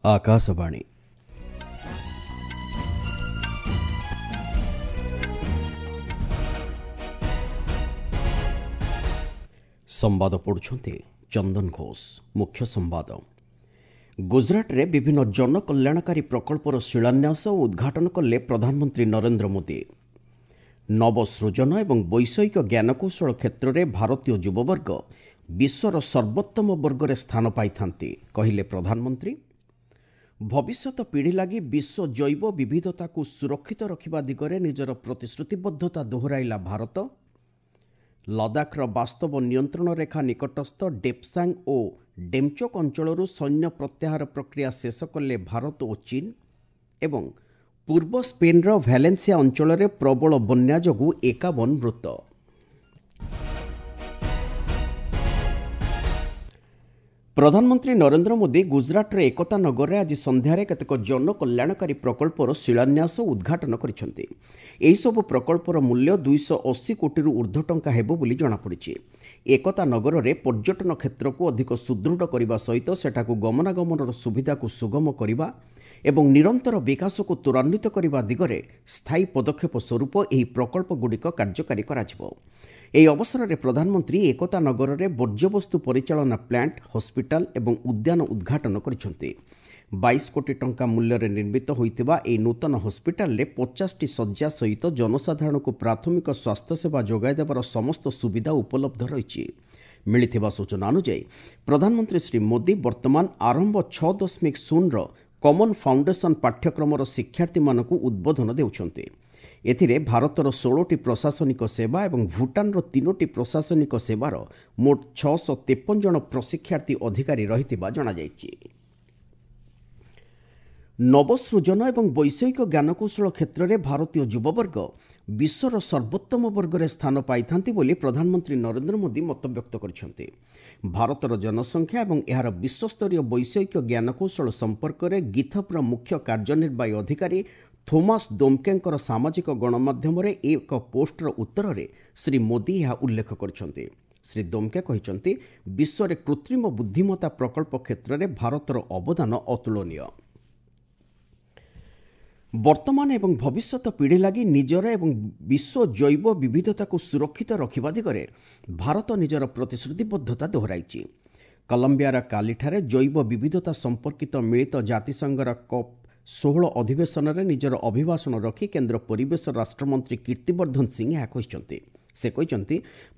ଆକାଶବାଣୀ। ସମ୍ବାଦ ପଢ଼ୁଛନ୍ତି ଚନ୍ଦନ ଘୋଷ। ମୁଖ୍ୟ ସମ୍ବାଦ। ଗୁଜରାଟରେ ବିଭିନ୍ନ ଜନକଲ୍ୟାଣକାରୀ ପ୍ରକଳ୍ପର ଶିଳାନ୍ୟାସ ଓ ଉଦ୍ଘାଟନ କଲେ ପ୍ରଧାନମନ୍ତ୍ରୀ ନରେନ୍ଦ୍ର ମୋଦି। ନବସୃଜନ ଏବଂ ବୈଷୟିକ ଜ୍ଞାନକୌଶଳ କ୍ଷେତ୍ରରେ ଭାରତୀୟ ଯୁବବର୍ଗ ବିଶ୍ୱର ସର୍ବୋତ୍ତମ ବର୍ଗରେ ସ୍ଥାନ ପାଇଥାନ୍ତି, କହିଲେ ପ୍ରଧାନମନ୍ତ୍ରୀ। ଭବିଷ୍ୟତ ପିଢ଼ି ଲାଗି ବିଶ୍ୱ ଜୈବ ବିବିଧତାକୁ ସୁରକ୍ଷିତ ରଖିବା ଦିଗରେ ନିଜର ପ୍ରତିଶ୍ରୁତିବଦ୍ଧତା ଦୋହରାଇଲା ଭାରତ। ଲଦାଖର ବାସ୍ତବ ନିୟନ୍ତ୍ରଣ ରେଖା ନିକଟସ୍ଥ ଡେପ୍ସାଙ୍ଗ ଓ ଡେମ୍ଚୋକ୍ ଅଞ୍ଚଳରୁ ସୈନ୍ୟ ପ୍ରତ୍ୟାହାର ପ୍ରକ୍ରିୟା ଶେଷ କଲେ ଭାରତ ଓ ଚୀନ। ଏବଂ ପୂର୍ବ ସ୍ପେନ୍ର ଭ୍ୟାଲେନ୍ସିଆ ଅଞ୍ଚଳରେ ପ୍ରବଳ ବନ୍ୟା ଯୋଗୁଁ 51 ମୃତ। ପ୍ରଧାନମନ୍ତ୍ରୀ ନରେନ୍ଦ୍ର ମୋଦି ଗୁଜରାଟର ଏକତା ନଗରରେ ଆଜି ସନ୍ଧ୍ୟାରେ କେତେକ ଜନକଲ୍ୟାଣକାରୀ ପ୍ରକଳ୍ପର ଶିଳାନ୍ୟାସ ଓ ଉଦ୍ଘାଟନ କରିଛନ୍ତି। ଏହିସବୁ ପ୍ରକଳ୍ପର ମୂଲ୍ୟ 280 କୋଟିରୁ ଉର୍ଦ୍ଧ୍ୱ ଟଙ୍କା ହେବ ବୋଲି ଜଣାପଡ଼ିଛି। ଏକତା ନଗରରେ ପର୍ଯ୍ୟଟନ କ୍ଷେତ୍ରକୁ ଅଧିକ ସୁଦୃଢ଼ କରିବା ସହିତ ସେଠାକୁ ଗମନାଗମନର ସୁବିଧାକୁ ସୁଗମ କରିବା ଏବଂ ନିରନ୍ତର ବିକାଶକୁ ତ୍ୱରାନ୍ୱିତ କରିବା ଦିଗରେ ସ୍ଥାୟୀ ପଦକ୍ଷେପ ସ୍ୱରୂପ ଏହି ପ୍ରକଳ୍ପଗୁଡ଼ିକ କାର୍ଯ୍ୟକାରୀ କରାଯିବ। ଏହି ଅବସରରେ ପ୍ରଧାନମନ୍ତ୍ରୀ ଏକତା ନଗରରେ ବର୍ଜ୍ୟବସ୍ତୁ ପରିଚାଳନା ପ୍ଲାଣ୍ଟ, ହସ୍ପିଟାଲ ଏବଂ ଉଦ୍ୟାନ ଉଦ୍ଘାଟନ କରିଛନ୍ତି। 22 କୋଟି ଟଙ୍କା ମୂଲ୍ୟରେ ନିର୍ମିତ ହୋଇଥିବା ଏହି ନୂତନ ହସ୍ପିଟାଲରେ 50ଟି ଶଯ୍ୟା ସହିତ ଜନସାଧାରଣଙ୍କୁ ପ୍ରାଥମିକ ସ୍ୱାସ୍ଥ୍ୟସେବା ଯୋଗାଇ ଦେବାର ସମସ୍ତ ସୁବିଧା ଉପଲବ୍ଧ ରହିଛି। ମିଳିଥିବା ସୂଚନା ଅନୁଯାୟୀ ପ୍ରଧାନମନ୍ତ୍ରୀ ଶ୍ରୀ ମୋଦି ବର୍ତ୍ତମାନ ଆରମ୍ଭ 6.0ର କମନ୍ ଫାଉଣ୍ଡେସନ୍ ପାଠ୍ୟକ୍ରମର ଶିକ୍ଷାର୍ଥୀମାନଙ୍କୁ ଉଦ୍ବୋଧନ ଦେଉଛନ୍ତି। ଏଥିରେ ଭାରତର 16ଟି ପ୍ରଶାସନିକ ସେବା ଏବଂ ଭୁଟାନର 3ଟି ପ୍ରଶାସନିକ ସେବାର ମୋଟ 653 ଜଣ ପ୍ରଶିକ୍ଷାର୍ଥୀ ଅଧିକାରୀ ରହିଥିବା ଜଣାଯାଇଛି। ନବସୃଜନ ଏବଂ ବୈଷୟିକ ଜ୍ଞାନକୌଶଳ କ୍ଷେତ୍ରରେ ଭାରତୀୟ ଯୁବବର୍ଗ ବିଶ୍ୱର ସର୍ବୋତ୍ତମ ବର୍ଗରେ ସ୍ଥାନ ପାଇଥାନ୍ତି ବୋଲି ପ୍ରଧାନମନ୍ତ୍ରୀ ନରେନ୍ଦ୍ର ମୋଦି ମତବ୍ୟକ୍ତ କରିଛନ୍ତି। ଭାରତର ଜନସଂଖ୍ୟା ଏବଂ ଏହାର ବିଶ୍ୱସ୍ତରୀୟ ବୈଷୟିକ ଜ୍ଞାନକୌଶଳ ସମ୍ପର୍କରେ ଗିଥପ୍ର ମୁଖ୍ୟ କାର୍ଯ୍ୟନିର୍ବାହୀ ଅଧିକାରୀ ଥୋମାସ ଦୋମ୍କେଙ୍କର ସାମାଜିକ ଗଣମାଧ୍ୟମରେ ଏକ ପୋଷ୍ଟର ଉତ୍ତରରେ ଶ୍ରୀ ମୋଦି ଏହା ଉଲ୍ଲେଖ କରିଛନ୍ତି। ଶ୍ରୀ ଦୋମ୍କେ କହିଛନ୍ତି, ବିଶ୍ୱରେ କୃତ୍ରିମ ବୁଦ୍ଧିମତ୍ତା ପ୍ରକଳ୍ପ କ୍ଷେତ୍ରରେ ଭାରତର ଅବଦାନ ଅତୁଳନୀୟ। ବର୍ତ୍ତମାନ ଏବଂ ଭବିଷ୍ୟତ ପିଢ଼ି ଲାଗି ନିଜର ଏବଂ ବିଶ୍ୱ ଜୈବ ବିବିଧତାକୁ ସୁରକ୍ଷିତ ରଖିବା ଦିଗରେ ଭାରତ ନିଜର ପ୍ରତିଶ୍ରୁତିବଦ୍ଧତା ଦୋହରାଇଛି। କଲମ୍ବିଆର କାଲିଠାରେ ଜୈବ ବିବିଧତା ସମ୍ପର୍କିତ ମିଳିତ ଜାତିସଂଘର କପ୍ 16 ଅଧିବେଶନରେ ନିଜର ଅଭିଭାଷଣ ରଖି କେନ୍ଦ୍ର ପରିବେଶ ରାଷ୍ଟ୍ରମନ୍ତ୍ରୀ କୀର୍ତ୍ତିବର୍ଦ୍ଧନ ସିଂ ଏହା କହିଛନ୍ତି। ସେ କହିଛନ୍ତି,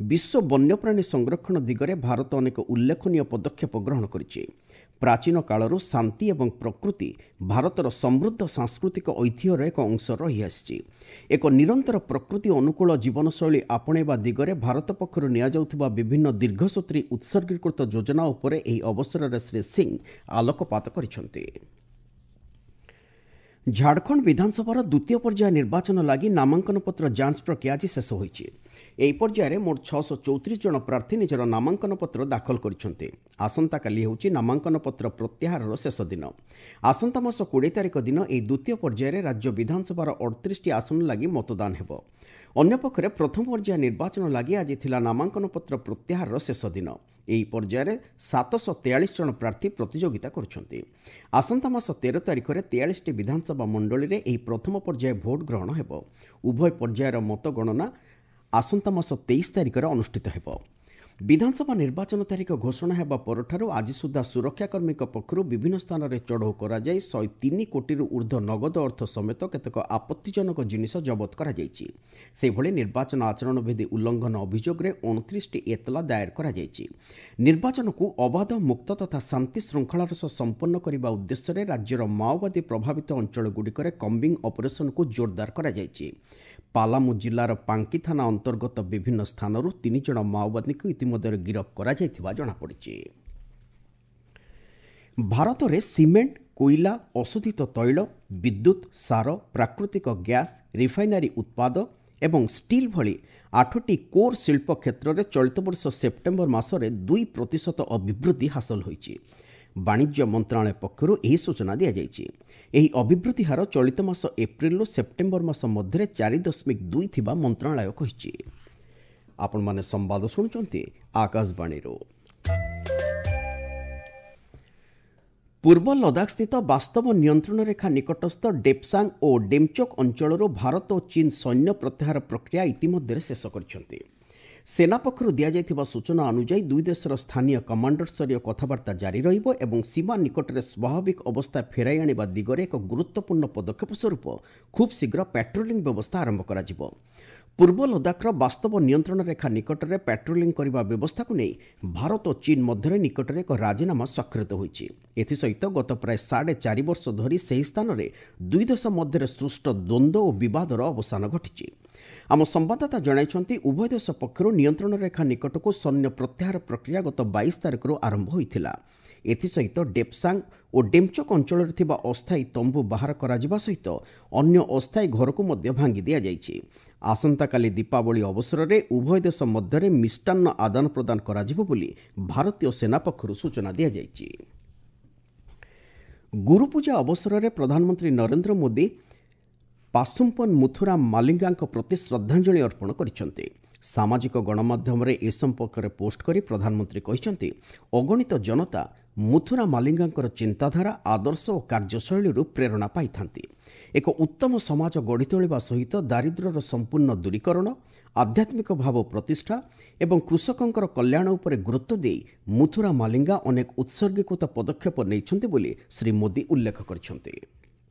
ବିଶ୍ୱ ବନ୍ୟପ୍ରାଣୀ ସଂରକ୍ଷଣ ଦିଗରେ ଭାରତ ଅନେକ ଉଲ୍ଲେଖନୀୟ ପଦକ୍ଷେପ ଗ୍ରହଣ କରିଛି। ପ୍ରାଚୀନ କାଳରୁ ଶାନ୍ତି ଏବଂ ପ୍ରକୃତି ଭାରତର ସମୃଦ୍ଧ ସାଂସ୍କୃତିକ ଐତିହ୍ୟର ଏକ ଅଂଶ ରହିଆସିଛି। ଏକ ନିରନ୍ତର ପ୍ରକୃତି ଅନୁକୂଳ ଜୀବନଶୈଳୀ ଆପଣେଇବା ଦିଗରେ ଭାରତ ପକ୍ଷରୁ ନିଆଯାଉଥିବା ବିଭିନ୍ନ ଦୀର୍ଘସୂତ୍ରୀ ଉତ୍ସର୍ଗୀକୃତ ଯୋଜନା ଉପରେ ଏହି ଅବସରରେ ଶ୍ରୀ ସିଂ ଆଲୋକପାତ କରିଛନ୍ତି। ଝାଡ଼ଖଣ୍ଡ ବିଧାନସଭାର ଦ୍ୱିତୀୟ ପର୍ଯ୍ୟାୟ ନିର୍ବାଚନ ଲାଗି ନାମାଙ୍କନପତ୍ର ଯାଞ୍ଚ ପ୍ରକ୍ରିୟା ଆଜି ଶେଷ ହୋଇଛି। ଏହି ପର୍ଯ୍ୟାୟରେ ମୋଟ 634 ଜଣ ପ୍ରାର୍ଥୀ ନିଜର ନାମାଙ୍କନପତ୍ର ଦାଖଲ କରିଛନ୍ତି। ଆସନ୍ତାକାଲି ହେଉଛି ନାମାଙ୍କନପତ୍ର ପ୍ରତ୍ୟାହାରର ଶେଷ ଦିନ। ଆସନ୍ତା ମାସ 20 ତାରିଖ ଦିନ ଏହି ଦ୍ୱିତୀୟ ପର୍ଯ୍ୟାୟରେ ରାଜ୍ୟ ବିଧାନସଭାର 38ଟି ଆସନ ଲାଗି ମତଦାନ ହେବ। ଅନ୍ୟପକ୍ଷରେ ପ୍ରଥମ ପର୍ଯ୍ୟାୟ ନିର୍ବାଚନ ଲାଗି ଆଜି ଥିଲା ନାମାଙ୍କନପତ୍ର ପ୍ରତ୍ୟାହାରର ଶେଷ ଦିନ। ଏହି ପର୍ଯ୍ୟାୟରେ 743 ଜଣ ପ୍ରାର୍ଥୀ ପ୍ରତିଯୋଗିତା କରୁଛନ୍ତି। ଆସନ୍ତା ମାସ 13 ତାରିଖରେ 43ଟି ବିଧାନସଭା ମଣ୍ଡଳୀରେ ଏହି ପ୍ରଥମ ପର୍ଯ୍ୟାୟ ଭୋଟ ଗ୍ରହଣ ହେବ। ଉଭୟ ପର୍ଯ୍ୟାୟର ମତଗଣନା ଆସନ୍ତା ମାସ 23 ତାରିଖରେ ଅନୁଷ୍ଠିତ ହେବ। ବିଧାନସଭା ନିର୍ବାଚନ ତାରିଖ ଘୋଷଣା ହେବା ପରଠାରୁ ଆଜି ସୁଦ୍ଧା ସୁରକ୍ଷାକର୍ମୀଙ୍କ ପକ୍ଷରୁ ବିଭିନ୍ନ ସ୍ଥାନରେ ଚଢ଼ଉ କରାଯାଇ 103 କୋଟିରୁ ଉର୍ଦ୍ଧ୍ୱ ନଗଦ ଅର୍ଥ ସମେତ କେତେକ ଆପତ୍ତିଜନକ ଜିନିଷ ଜବତ କରାଯାଇଛି। ସେହିଭଳି ନିର୍ବାଚନ ଆଚରଣ ବିଧି ଉଲ୍ଲଂଘନ ଅଭିଯୋଗରେ 29ଟି ଏତଲା ଦାଏର କରାଯାଇଛି। ନିର୍ବାଚନକୁ ଅବାଧ, ମୁକ୍ତ ତଥା ଶାନ୍ତି ଶୃଙ୍ଖଳାର ସହ ସମ୍ପନ୍ନ କରିବା ଉଦ୍ଦେଶ୍ୟରେ ରାଜ୍ୟର ମାଓବାଦୀ ପ୍ରଭାବିତ ଅଞ୍ଚଳଗୁଡ଼ିକରେ କମ୍ବିଂ ଅପରେସନକୁ ଜୋରଦାର କରାଯାଇଛି। ପାଲାମୁ ଜିଲ୍ଲାର ପାଙ୍କି ଥାନା ଅନ୍ତର୍ଗତ ବିଭିନ୍ନ ସ୍ଥାନରୁ 3 ଜଣ ମାଓବାଦୀଙ୍କୁ ଇତିମଧ୍ୟରେ ଗିରଫ କରାଯାଇଥିବା ଜଣାପଡ଼ିଛି। ଭାରତରେ ସିମେଣ୍ଟ, କୋଇଲା, ଅଶୋଧିତ ତୈଳ, ବିଦ୍ୟୁତ୍, ସାର, ପ୍ରାକୃତିକ ଗ୍ୟାସ୍, ରିଫାଇନାରୀ ଉତ୍ପାଦ ଏବଂ ଷ୍ଟିଲ୍ ଭଳି 8ଟି କୋର୍ ଶିଳ୍ପ କ୍ଷେତ୍ରରେ ଚଳିତ ବର୍ଷ ସେପ୍ଟେମ୍ବର ମାସରେ 2% ଅଭିବୃଦ୍ଧି ହାସଲ ହୋଇଛି। ବାଣିଜ୍ୟ ମନ୍ତ୍ରଣାଳୟ ପକ୍ଷରୁ ଏହି ସୂଚନା ଦିଆଯାଇଛି। ଏହି ଅଭିବୃଦ୍ଧି ହାର ଚଳିତ ମାସ ଏପ୍ରିଲରୁ ସେପ୍ଟେମ୍ବର ମାସ ମଧ୍ୟରେ 4.2 ଥିବା ମନ୍ତ୍ରଣାଳୟ କହିଛି। ଆପଣମାନେ ସମ୍ବାଦ ଶୁଣୁଛନ୍ତି ଆକାଶବାଣୀରୁ। ପୂର୍ବ ଲଦାଖସ୍ଥିତ ବାସ୍ତବ ନିୟନ୍ତ୍ରଣ ରେଖା ନିକଟସ୍ଥ ଡେପ୍ସାଙ୍ଗ ଓ ଡେମ୍ଚୋକ୍ ଅଞ୍ଚଳରୁ ଭାରତ ଓ ଚୀନ୍ ସୈନ୍ୟ ପ୍ରତ୍ୟାହାର ପ୍ରକ୍ରିୟା ଇତିମଧ୍ୟରେ ଶେଷ କରିଛନ୍ତି। ସେନା ପକ୍ଷରୁ ଦିଆଯାଇଥିବା ସୂଚନା ଅନୁଯାୟୀ ଦୁଇ ଦେଶର ସ୍ଥାନୀୟ କମାଣ୍ଡରସ୍ତରୀୟ କଥାବାର୍ତ୍ତା ଜାରି ରହିବ ଏବଂ ସୀମା ନିକଟରେ ସ୍ୱାଭାବିକ ଅବସ୍ଥା ଫେରାଇ ଆଣିବା ଦିଗରେ ଏକ ଗୁରୁତ୍ୱପୂର୍ଣ୍ଣ ପଦକ୍ଷେପ ସ୍ୱରୂପ ଖୁବ୍ ଶୀଘ୍ର ପାଟ୍ରୋଲିଂ ବ୍ୟବସ୍ଥା ଆରମ୍ଭ କରାଯିବ। ପୂର୍ବ ଲଦାଖର ବାସ୍ତବ ନିୟନ୍ତ୍ରଣ ରେଖା ନିକଟରେ ପାଟ୍ରୋଲିଂ କରିବା ବ୍ୟବସ୍ଥାକୁ ନେଇ ଭାରତ ଓ ଚୀନ୍ ମଧ୍ୟରେ ନିକଟରେ ଏକ ରାଜିନାମା ସ୍ୱାକ୍ଷରିତ ହୋଇଛି। ଏଥିସହିତ ଗତ ପ୍ରାୟ 4.5 ବର୍ଷ ଧରି ସେହି ସ୍ଥାନରେ ଦୁଇ ଦେଶ ମଧ୍ୟରେ ସୃଷ୍ଟ ଦ୍ୱନ୍ଦ୍ୱ ଓ ବିବାଦର ଅବସାନ ଘଟିଛି। ଆମ ସମ୍ବାଦଦାତା ଜଣାଇଛନ୍ତି, ଉଭୟ ଦେଶ ପକ୍ଷରୁ ନିୟନ୍ତ୍ରଣ ରେଖା ନିକଟକୁ ସୈନ୍ୟ ପ୍ରତ୍ୟାହାର ପ୍ରକ୍ରିୟା ଗତ 22 ତାରିଖରୁ ଆରମ୍ଭ ହୋଇଥିଲା। ଏଥିସହିତ ଡେପ୍ସାଙ୍ଗ ଓ ଡେମ୍ଚୋକ୍ ଅଞ୍ଚଳରେ ଥିବା ଅସ୍ଥାୟୀ ତମ୍ବୁ ବାହାର କରାଯିବା ସହିତ ଅନ୍ୟ ଅସ୍ଥାୟୀ ଘରକୁ ମଧ୍ୟ ଭାଙ୍ଗି ଦିଆଯାଇଛି। ଆସନ୍ତାକାଲି ଦୀପାବଳି ଅବସରରେ ଉଭୟ ଦେଶ ମଧ୍ୟରେ ମିଷ୍ଟାନ୍ନ ଆଦାନ ପ୍ରଦାନ କରାଯିବ ବୋଲି ଭାରତୀୟ ସେନା ପକ୍ଷରୁ ସୂଚନା ଦିଆଯାଇଛି। ଗୁରୁପୂଜା ଅବସରରେ ପ୍ରଧାନମନ୍ତ୍ରୀ ନରେନ୍ଦ୍ର ମୋଦି ପାସୁମ୍ପନ ମୁଥୁରାମ ମାଲିଙ୍ଗାଙ୍କ ପ୍ରତି ଶ୍ରଦ୍ଧାଞ୍ଜଳି ଅର୍ପଣ କରିଛନ୍ତି। ସାମାଜିକ ଗଣମାଧ୍ୟମରେ ଏ ସମ୍ପର୍କରେ ପୋଷ୍ଟ କରି ପ୍ରଧାନମନ୍ତ୍ରୀ କହିଛନ୍ତି, ଅଗଣିତ ଜନତା ମୁଥୁରା ମାଲିଙ୍ଗାଙ୍କର ଚିନ୍ତାଧାରା, ଆଦର୍ଶ ଓ କାର୍ଯ୍ୟଶୈଳୀରୁ ପ୍ରେରଣା ପାଇଥାନ୍ତି। ଏକ ଉତ୍ତମ ସମାଜ ଗଢ଼ି ତୋଳିବା ସହିତ ଦାରିଦ୍ର୍ୟର ସମ୍ପୂର୍ଣ୍ଣ ଦୂରୀକରଣ, ଆଧ୍ୟାତ୍ମିକ ଭାବ ପ୍ରତିଷ୍ଠା ଏବଂ କୃଷକଙ୍କର କଲ୍ୟାଣ ଉପରେ ଗୁରୁତ୍ୱ ଦେଇ ମୁଥୁରା ମାଲିଙ୍ଗା ଅନେକ ଉତ୍ସର୍ଗୀକୃତ ପଦକ୍ଷେପ ନେଇଛନ୍ତି ବୋଲି ଶ୍ରୀ ମୋଦି ଉଲ୍ଲେଖ କରିଛନ୍ତି।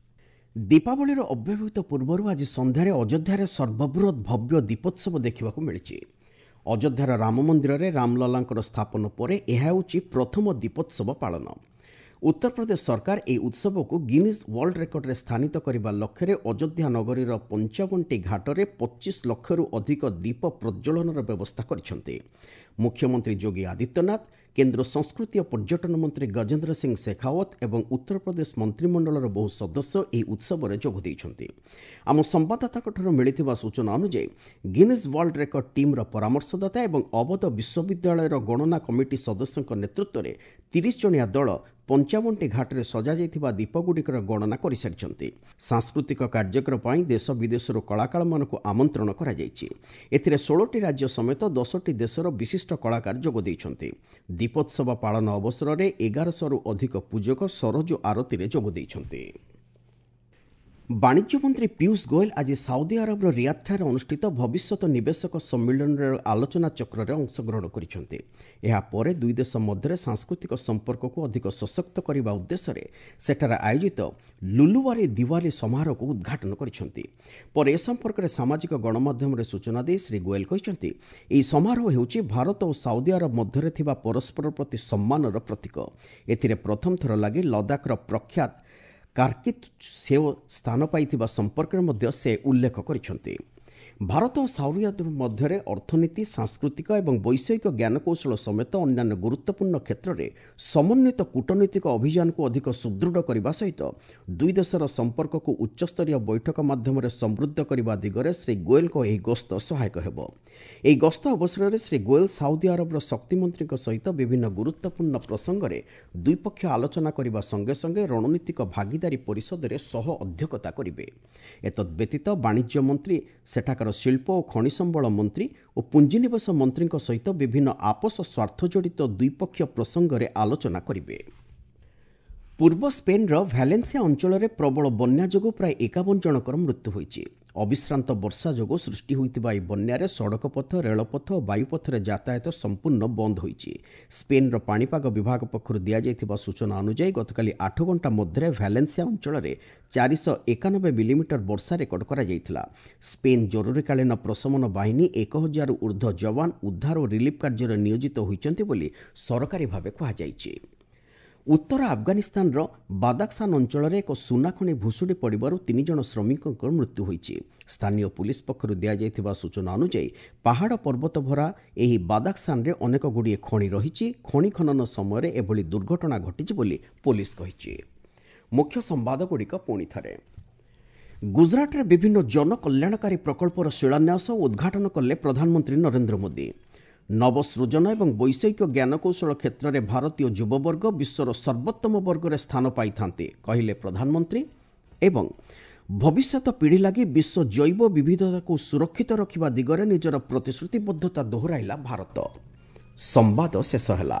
ଦୀପାବଳିର ଅବ୍ୟବହିତ ପୂର୍ବରୁ ଆଜି ସନ୍ଧ୍ୟାରେ ଅଯୋଧ୍ୟାରେ ସର୍ବବୃହତ୍ ଭବ୍ୟ ଦୀପୋତ୍ସବ ଦେଖିବାକୁ ମିଳିଛି। ଅଯୋଧ୍ୟାର ରାମ ମନ୍ଦିରରେ ରାମଲଲାଙ୍କର ସ୍ଥାପନ ପରେ ଏହା ହେଉଛି ପ୍ରଥମ ଦୀପୋତ୍ସବ ପାଳନ। ଉତ୍ତରପ୍ରଦେଶ ସରକାର ଏହି ଉତ୍ସବକୁ ଗିନିଜ୍ ୱାର୍ଲଡ ରେକର୍ଡରେ ସ୍ଥାନିତ କରିବା ଲକ୍ଷ୍ୟରେ ଅଯୋଧ୍ୟା ନଗରୀର 55ଟି ଘାଟରେ 25 ଲକ୍ଷରୁ ଅଧିକ ଦୀପ ପ୍ରଜ୍ୱଳନର ବ୍ୟବସ୍ଥା କରିଛନ୍ତି। ମୁଖ୍ୟମନ୍ତ୍ରୀ ଯୋଗୀ ଆଦିତ୍ୟନାଥ, କେନ୍ଦ୍ର ସଂସ୍କୃତି ଓ ପର୍ଯ୍ୟଟନ ମନ୍ତ୍ରୀ ଗଜେନ୍ଦ୍ର ସିଂ ଶେଖାଓ୍ୱତ ଏବଂ ଉତ୍ତରପ୍ରଦେଶ ମନ୍ତ୍ରିମଣ୍ଡଳର ବହୁ ସଦସ୍ୟ ଏହି ଉତ୍ସବରେ ଯୋଗ ଦେଇଛନ୍ତି। ଆମ ସମ୍ବାଦଦାତାଙ୍କଠାରୁ ମିଳିଥିବା ସୂଚନା ଅନୁଯାୟୀ ଗିନିଜ୍ ୱାର୍ଲଡ ରେକର୍ଡ ଟିମ୍ର ପରାମର୍ଶଦାତା ଏବଂ ଅବଧ ବିଶ୍ୱବିଦ୍ୟାଳୟର ଗଣନା କମିଟି ସଦସ୍ୟଙ୍କ ନେତୃତ୍ୱରେ 30 ଜଣିଆ ଦଳ 55ଟି ଘାଟରେ ସଜାଯାଇଥିବା ଦୀପଗୁଡ଼ିକର ଗଣନା କରିସାରିଛନ୍ତି। ସାଂସ୍କୃତିକ କାର୍ଯ୍ୟକ୍ରମ ପାଇଁ ଦେଶ ବିଦେଶରୁ କଳାକାରମାନଙ୍କୁ ଆମନ୍ତ୍ରଣ କରାଯାଇଛି। ଏଥିରେ 16ଟି ରାଜ୍ୟ ସମେତ 10ଟି ଦେଶର ବିଶିଷ୍ଟ କଳାକାର ଯୋଗ ଦେଇଛନ୍ତି। ଦୀପୋତ୍ସବ ପାଳନ ଅବସରରେ 1100ରୁ ଅଧିକ ପୂଜକ ସରଜୁ ଆରତୀରେ ଯୋଗ ଦେଇଛନ୍ତି। ବାଣିଜ୍ୟ ମନ୍ତ୍ରୀ ପୀୟୁଷ ଗୋଏଲ ଆଜି ସାଉଦି ଆରବର ରିୟାଦଠାରେ ଅନୁଷ୍ଠିତ ଭବିଷ୍ୟତ ନିବେଶକ ସମ୍ମିଳନୀର ଆଲୋଚନା ଚକ୍ରରେ ଅଂଶଗ୍ରହଣ କରିଛନ୍ତି। ଏହାପରେ ଦୁଇ ଦେଶ ମଧ୍ୟରେ ସାଂସ୍କୃତିକ ସମ୍ପର୍କକୁ ଅଧିକ ସଶକ୍ତ କରିବା ଉଦ୍ଦେଶ୍ୟରେ ସେଠାରେ ଆୟୋଜିତ ଲୁଲୁୱାରୀ ଦିୱାଲି ସମାରୋହକୁ ଉଦ୍ଘାଟନ କରିଛନ୍ତି। ପରେ ଏ ସମ୍ପର୍କରେ ସାମାଜିକ ଗଣମାଧ୍ୟମରେ ସୂଚନା ଦେଇ ଶ୍ରୀ ଗୋଏଲ କହିଛନ୍ତି, ଏହି ସମାରୋହ ହେଉଛି ଭାରତ ଓ ସାଉଦି ଆରବ ମଧ୍ୟରେ ଥିବା ପରସ୍ପର ପ୍ରତି ସମ୍ମାନର ପ୍ରତୀକ। ଏଥିରେ ପ୍ରଥମ ଥର ଲାଗି ଲଦାଖର ପ୍ରଖ୍ୟାତ କାର୍କିତ ସେଓ ସ୍ଥାନ ପାଇଥିବା ସମ୍ପର୍କରେ ମଧ୍ୟ ସେ ଉଲ୍ଲେଖ କରିଛନ୍ତି। ଭାରତ ଓ ସାଉଦି ଆରବ ମଧ୍ୟରେ ଅର୍ଥନୀତି, ସାଂସ୍କୃତିକ ଏବଂ ବୈଷୟିକ ଜ୍ଞାନକୌଶଳ ସମେତ ଅନ୍ୟାନ୍ୟ ଗୁରୁତ୍ୱପୂର୍ଣ୍ଣ କ୍ଷେତ୍ରରେ ସମନ୍ୱିତ କୂଟନୈତିକ ଅଭିଯାନକୁ ଅଧିକ ସୁଦୃଢ଼ କରିବା ସହିତ ଦୁଇ ଦେଶର ସମ୍ପର୍କକୁ ଉଚ୍ଚସ୍ତରୀୟ ବୈଠକ ମାଧ୍ୟମରେ ସମୃଦ୍ଧ କରିବା ଦିଗରେ ଶ୍ରୀ ଗୋଏଲଙ୍କ ଏହି ଗସ୍ତ ସହାୟକ ହେବ। ଏହି ଗସ୍ତ ଅବସରରେ ଶ୍ରୀ ଗୋଏଲ ସାଉଦି ଆରବର ଶକ୍ତିମନ୍ତ୍ରୀଙ୍କ ସହିତ ବିଭିନ୍ନ ଗୁରୁତ୍ୱପୂର୍ଣ୍ଣ ପ୍ରସଙ୍ଗରେ ଦ୍ୱିପକ୍ଷୀୟ ଆଲୋଚନା କରିବା ସଙ୍ଗେ ସଙ୍ଗେ ରଣନୀତିକ ଭାଗିଦାରୀ ପରିଷଦରେ ସହ ଅଧ୍ୟକ୍ଷତା କରିବେ। ଏତଦ୍ବ୍ୟତୀତ ବାଣିଜ୍ୟ ମନ୍ତ୍ରୀ ସେଠାକାର ଶିଳ୍ପ ଓ ଖଣି ସମ୍ବଳ ମନ୍ତ୍ରୀ ଓ ପୁଞ୍ଜିନିବେଶ ମନ୍ତ୍ରୀଙ୍କ ସହିତ ବିଭିନ୍ନ ଆପୋଷ ସ୍ୱାର୍ଥଜଡ଼ିତ ଦ୍ୱିପକ୍ଷୀୟ ପ୍ରସଙ୍ଗରେ ଆଲୋଚନା କରିବେ। ପୂର୍ବ ସ୍ପେନ୍ର ଭ୍ୟାଲେନ୍ସିଆ ଅଞ୍ଚଳରେ ପ୍ରବଳ ବନ୍ୟା ଯୋଗୁଁ ପ୍ରାୟ 51 ଜଣଙ୍କର ମୃତ୍ୟୁ ହୋଇଛି। ଅବିଶ୍ରାନ୍ତ ବର୍ଷା ଯୋଗୁଁ ସୃଷ୍ଟି ହୋଇଥିବା ଏହି ବନ୍ୟାରେ ସଡ଼କପଥ, ରେଳପଥ ଓ ବାୟୁପଥରେ ଯାତାୟାତ ସମ୍ପୂର୍ଣ୍ଣ ବନ୍ଦ ହୋଇଛି। ସ୍ପେନ୍ର ପାଣିପାଗ ବିଭାଗ ପକ୍ଷରୁ ଦିଆଯାଇଥିବା ସୂଚନା ଅନୁଯାୟୀ ଗତକାଲି 8 ଘଣ୍ଟା ମଧ୍ୟରେ ଭ୍ୟାଲେନ୍ସିଆ ଅଞ୍ଚଳରେ 491 ମିଲିମିଟର ବର୍ଷା ରେକର୍ଡ କରାଯାଇଥିଲା। ସ୍ପେନ୍ ଜରୁରୀକାଳୀନ ପ୍ରଶମନ ବାହିନୀ 1000ରୁ ଉର୍ଦ୍ଧ୍ୱ ଯବାନ ଉଦ୍ଧାର ଓ ରିଲିଫ୍ କାର୍ଯ୍ୟରେ ନିୟୋଜିତ ହୋଇଛନ୍ତି ବୋଲି ସରକାରୀ ଭାବେ କୁହାଯାଇଛି। ଉତ୍ତର ଆଫଗାନିସ୍ତାନର ବାଦାକସାନ ଅଞ୍ଚଳରେ ଏକ ସୁନାଖଣି ଭୁଶୁଡ଼ି ପଡ଼ିବାରୁ 3 ଜଣ ଶ୍ରମିକଙ୍କ ମୃତ୍ୟୁ ହୋଇଛି। ସ୍ଥାନୀୟ ପୁଲିସ ପକ୍ଷରୁ ଦିଆଯାଇଥିବା ସୂଚନା ଅନୁଯାୟୀ ପାହାଡ଼ ପର୍ବତ ଭରା ଏହି ବାଦାକସାନରେ ଅନେକ ଗୁଡ଼ିଏ ଖଣି ରହିଛି। ଖଣି ଖନନ ସମୟରେ ଏଭଳି ଦୁର୍ଘଟଣା ଘଟିଛି ବୋଲି ପୋଲିସ କହିଛି। ମୁଖ୍ୟ ସମ୍ବାଦଗୁଡ଼ିକ ପୁଣି ଥରେ। ଗୁଜରାଟରେ ବିଭିନ୍ନ ଜନକଲ୍ୟାଣକାରୀ ପ୍ରକଳ୍ପର ଶିଳାନ୍ୟାସ ଓ ଉଦ୍ଘାଟନ କଲେ ପ୍ରଧାନମନ୍ତ୍ରୀ ନରେନ୍ଦ୍ର ମୋଦି। ନବସୃଜନ ଏବଂ ବୈଷୟିକ ଜ୍ଞାନକୌଶଳ କ୍ଷେତ୍ରରେ ଭାରତୀୟ ଯୁବବର୍ଗ ବିଶ୍ୱର ସର୍ବୋତ୍ତମ ବର୍ଗରେ ସ୍ଥାନ ପାଇଥାନ୍ତି, କହିଲେ ପ୍ରଧାନମନ୍ତ୍ରୀ। ଏବଂ ଭବିଷ୍ୟତ ପିଢ଼ି ଲାଗି ବିଶ୍ୱ ଜୈବ ବିବିଧତାକୁ ସୁରକ୍ଷିତ ରଖିବା ଦିଗରେ ନିଜର ପ୍ରତିଶ୍ରୁତିବଦ୍ଧତା ଦୋହରାଇଲା ଭାରତ। ସମ୍ବାଦ ଶେଷ ହେଲା।